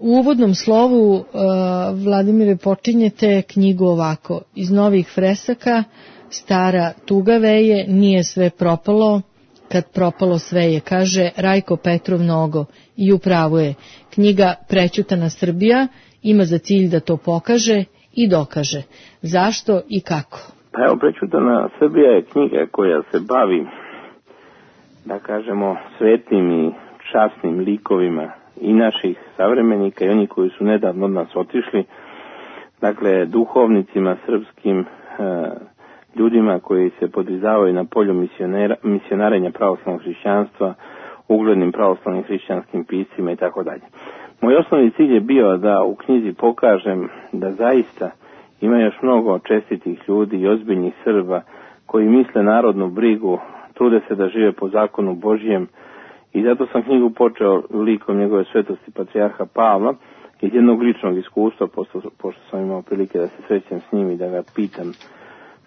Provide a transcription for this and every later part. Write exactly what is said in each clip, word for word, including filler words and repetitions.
U uvodnom slovu, uh, Vladimire, počinjete knjigu ovako: iz novih fresaka, stara tuga veje, nije sve propalo, kad propalo sve je, kaže Rajko Petrov Nogo, i upravo je. Knjiga Prećutana Srbija ima za cilj da to pokaže i dokaže. Zašto i kako? Pa evo, Prećutana Srbija je knjiga koja se bavi, da kažemo, svetnim i časnim likovima i naših savremenika i oni koji su nedavno od nas otišli, dakle duhovnicima srpskim, e, ljudima koji se podizavaju na polju misionarenja pravoslavnog hrišćanstva, uglednim pravoslavnim hrišćanskim piscima i tako dalje. Moj osnovni cilj je bio da u knjizi pokažem da zaista ima još mnogo čestitih ljudi i ozbiljnih Srba koji misle narodnu brigu, trude se da žive po zakonu Božjem, i zato sam knjigu počeo likom njegove svetosti patrijarha Pavla iz jednog ličnog iskustva, pošto, pošto sam imao prilike da se srećem s njim i da ga pitam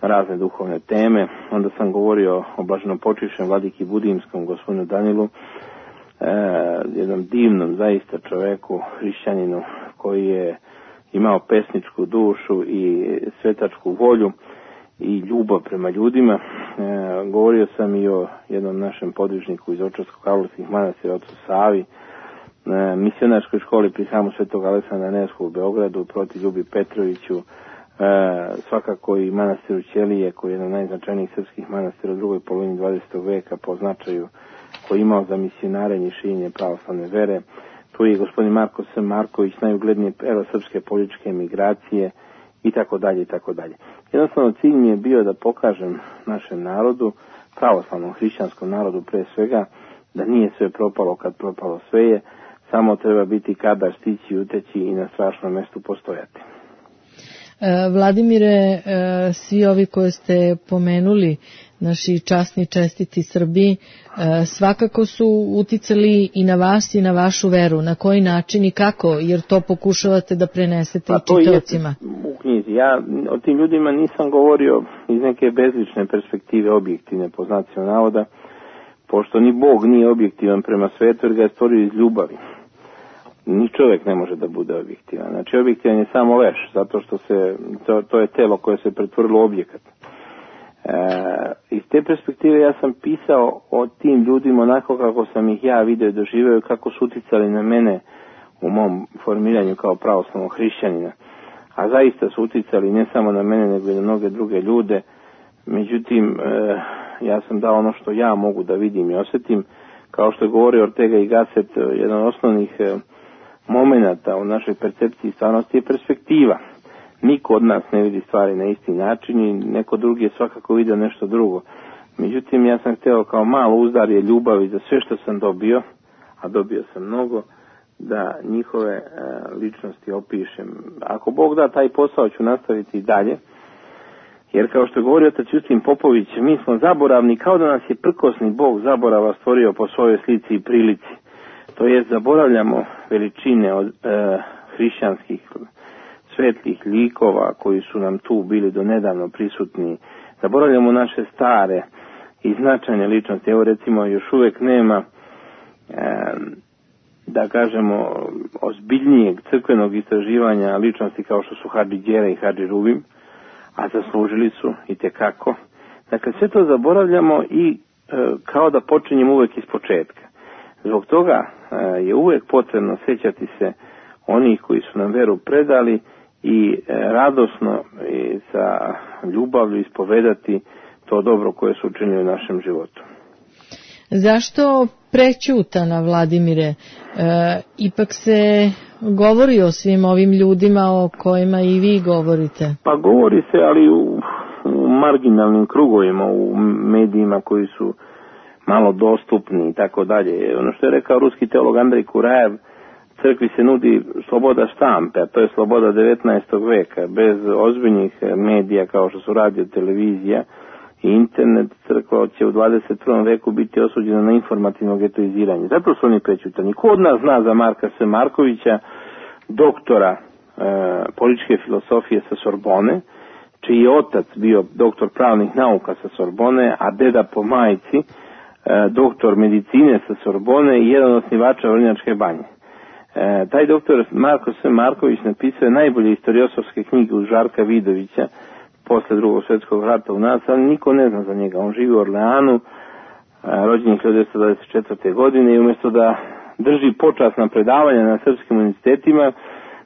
razne duhovne teme. Onda sam govorio o blaženopočivšem vladiki Budimskom, gospodinu Danilu, e, jednom divnom zaista čoveku, hrišćaninu, koji je imao pesničku dušu i svetačku volju i ljubav prema ljudima. E, govorio sam i o jednom našem podvižniku iz Očarsko-Karlovskih manastira, ocu Savi, e, misionarskoj školi pri hramu Svetog Aleksandra Nevskog u Beogradu, proti Ljubi Petroviću, e, svakako i manastiru Ćelije, koji je jedan od najznačajnijih srpskih manastira u drugoj polovini dvadesetog veka po značaju koji je imao za misionarenje i širenje pravoslavne vere. Tu je gospodin Marko S. Marković, najuglednije pero srpske političke emigracije, i tako dalje i tako dalje. Jednostavno cilj mi je bio da pokažem našem narodu, pravoslavnom hrišćanskom narodu pre svega, da nije sve propalo kad propalo sve je, samo treba biti kadar, stići, uteći i na strašnom mestu postojati. Vladimire, svi ovi koje ste pomenuli, naši časni čestiti Srbi, svakako su uticali i na vas i na vašu veru. Na koji način i kako, jer to pokušavate da prenesete pa, i čitaocima? U knjizi. Ja o tim ljudima nisam govorio iz neke bezlične perspektive, objektivne po znacima navoda, pošto ni Bog nije objektivan prema svetu, jer ga je stvorio iz ljubavi. Ni čovjek ne može da bude objektivan. Znači, objektivan je samo leš, zato što se, to, to je telo koje se pretvorilo u objekat. E, iz te perspektive ja sam pisao o tim ljudima onako kako sam ih ja vidio i doživio, kako su uticali na mene u mom formiranju kao pravoslavnog hrišćanina. A zaista su uticali ne samo na mene, nego i na mnoge druge ljude. Međutim, e, ja sam dao ono što ja mogu da vidim i osjetim. Kao što je govorio Ortega y Gasset, jedan od osnovnih e, momenata u našoj percepciji stvarnosti je perspektiva. Niko od nas ne vidi stvari na isti način i neko drugi je svakako vidio nešto drugo. Međutim, ja sam htio kao malo uzdarje ljubavi za sve što sam dobio, a dobio sam mnogo, da njihove e, ličnosti opišem. Ako Bog da, taj posao ću nastaviti i dalje, jer kao što je govorio otac Justin Popović, mi smo zaboravni kao da nas je prkosni Bog zaborava stvorio po svojoj slici i prilici. To je, zaboravljamo veličine od e, hrišćanskih svetlih likova koji su nam tu bili do nedavno prisutni. Zaboravljamo naše stare i značajne ličnosti. Evo recimo, još uvijek nema, e, da kažemo, ozbiljnijeg crkvenog istraživanja ličnosti kao što su Hadži Đera i Hadži Rubim, a zaslužili su i tekako. Dakle, sve to zaboravljamo i e, kao da počinjemo uvijek iz početka. Zbog toga e, je uvijek potrebno sjećati se onih koji su nam veru predali i e, radosno i sa ljubavlju ispovedati to dobro koje su učinili u našem životu. Zašto prećutana, Vladimire? E, ipak se govori o svim ovim ljudima o kojima i vi govorite. Pa govori se, ali u, u marginalnim krugovima, u medijima koji su malo dostupni i tako dalje. Ono što je rekao ruski teolog Andrej Kurajev, crkvi se nudi sloboda štampe, a to je sloboda devetnaestog veka. Bez ozbiljnih medija kao što su radio, televizija i internet, crkva će u dvadeset prvom veku biti osuđena na informativno getoiziranje. Zato su oni prećutani. Ko od nas zna za Marka S. Markovića, doktora e, političke filosofije sa Sorbone, čiji je otac bio doktor pravnih nauka sa Sorbone, a deda po majci doktor medicine sa Sorbone i jedan od osnivača Vrnjačke banje. E, taj doktor Marko S. Marković napisao je najbolje historiosofske knjige uz Žarka Vidovića posle drugog svjetskog rata u nas, ali niko ne zna za njega. On živi u Orleanu, rođen je hiljadu devetsto dvadeset četvrte. godine i umjesto da drži počasna predavanja na srpskim univerzitetima,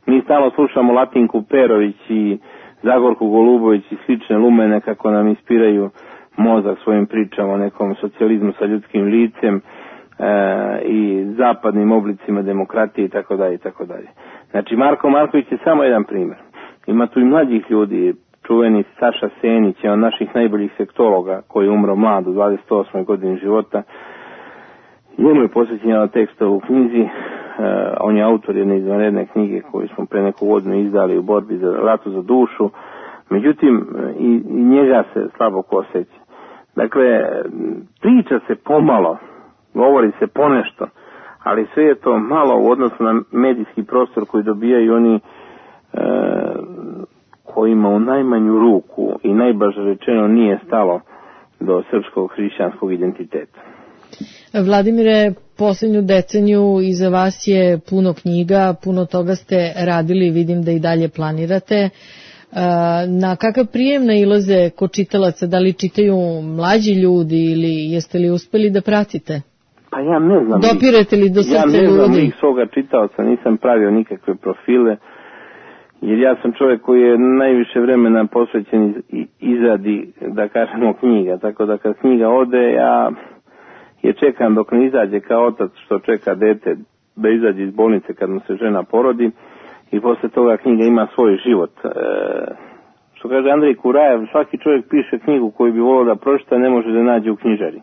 mi stalno slušamo Latinku Perović i Zagorku Golubović i slične lumene kako nam ispiraju mozak svojim pričama o nekom socijalizmu sa ljudskim licem e, i zapadnim oblicima demokratije i tako dalje i tako dalje. Znači Marko Marković je samo jedan primjer. Ima tu i mlađih ljudi, čuveni Saša Senić je on naših najboljih sektologa koji je umro mlad u dvadeset osmoj godini života. Njemu je posvećen jedan tekst u knjizi, uh, on je autor jedne izvanredne knjige koju smo pre neku godinu izdali u borbi za ratu za dušu, međutim i, i njega se slabo ko osjeća. Dakle, priča se pomalo, govori se ponešto, ali sve je to malo u odnosu na medijski prostor koji dobijaju oni uh, kojima u najmanju ruku i najbaže rečeno nije stalo do srpskog hrišćanskog identiteta. Vladimire, posljednju deceniju iza vas je puno knjiga, puno toga ste radili, vidim da i dalje planirate. Na kakav prijem nailaze kod čitalaca, da li čitaju mlađi ljudi ili jeste li uspeli da pratite? Pa ja ne znam. Dopirete li do srca ljudi? Ja ne znam ih svoga čitaoca, nisam pravio nikakve profile, jer ja sam čovjek koji je najviše vremena posvećen izradi, da kažemo, knjiga, tako da kad knjiga ode, ja je čekam dok ne izađe kao otac što čeka dete da izađe iz bolnice kad mu se žena porodi i posle toga knjiga ima svoj život. E, što kaže Andrej Kurajev, svaki čovjek piše knjigu koju bi volio da pročita, ne može da nađe u knjižari.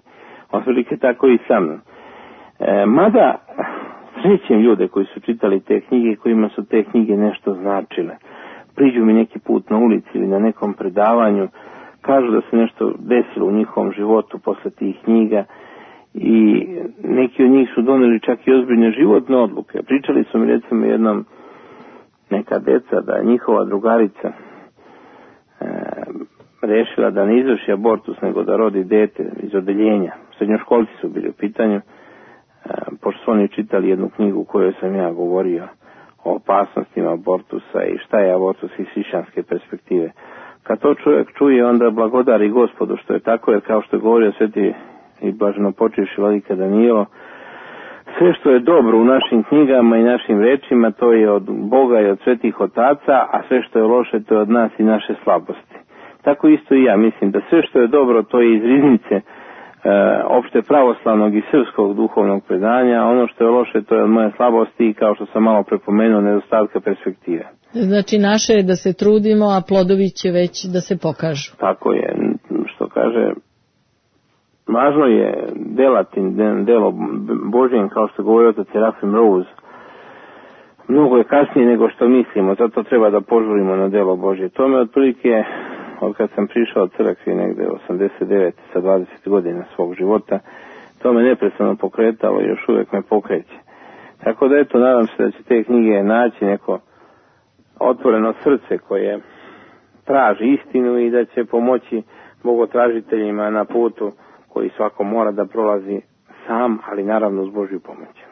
Otprilike tako i sa mnom. E, mada srećem ljude koji su čitali te knjige i kojima su te knjige nešto značile. Priđu mi neki put na ulici ili na nekom predavanju, kažu da se nešto desilo u njihovom životu posle tih knjiga i neki od njih su doneli čak i ozbiljne životne odluke. Pričali su mi recimo jednom neka deca da je njihova drugarica e, rešila da ne izvrši abortus nego da rodi dete iz odeljenja. Srednjoškolci su bili u pitanju, e, pošto su oni čitali jednu knjigu u kojoj sam ja govorio o opasnostima abortusa i šta je abortus iz hrišćanske perspektive. Kad to čovjek čuje, onda blagodari Gospodu što je tako, jer kao što je govorio sveti i blaženopočivši vladika Danilo, sve što je dobro u našim knjigama i našim rečima, to je od Boga i od svetih otaca, a sve što je loše, to je od nas i naše slabosti. Tako isto i ja mislim da sve što je dobro, to je iz riznice e, opšte pravoslavnog i srpskog duhovnog predanja, a ono što je loše, to je od moje slabosti i kao što sam malo prepomenuo, nedostatka perspektive. Znači naše je da se trudimo, a plodovi će već da se pokažu. Tako je, što kaže, važno je delati delo Božjem, kao što govori otac Serafim Rose. Mnogo je kasnije nego što mislimo, zato treba da požurimo na delo Božje. To me otprilike, od kad sam prišao od crkvi negde osamdeset devete sa dvadeset godina svog života, to me neprestano pokretalo i još uvijek me pokreće. Tako da eto, nadam se da će te knjige naći neko otvoreno srce koje traži istinu i da će pomoći bogotražiteljima na putu koji svako mora da prolazi sam, ali naravno uz Božju pomoć.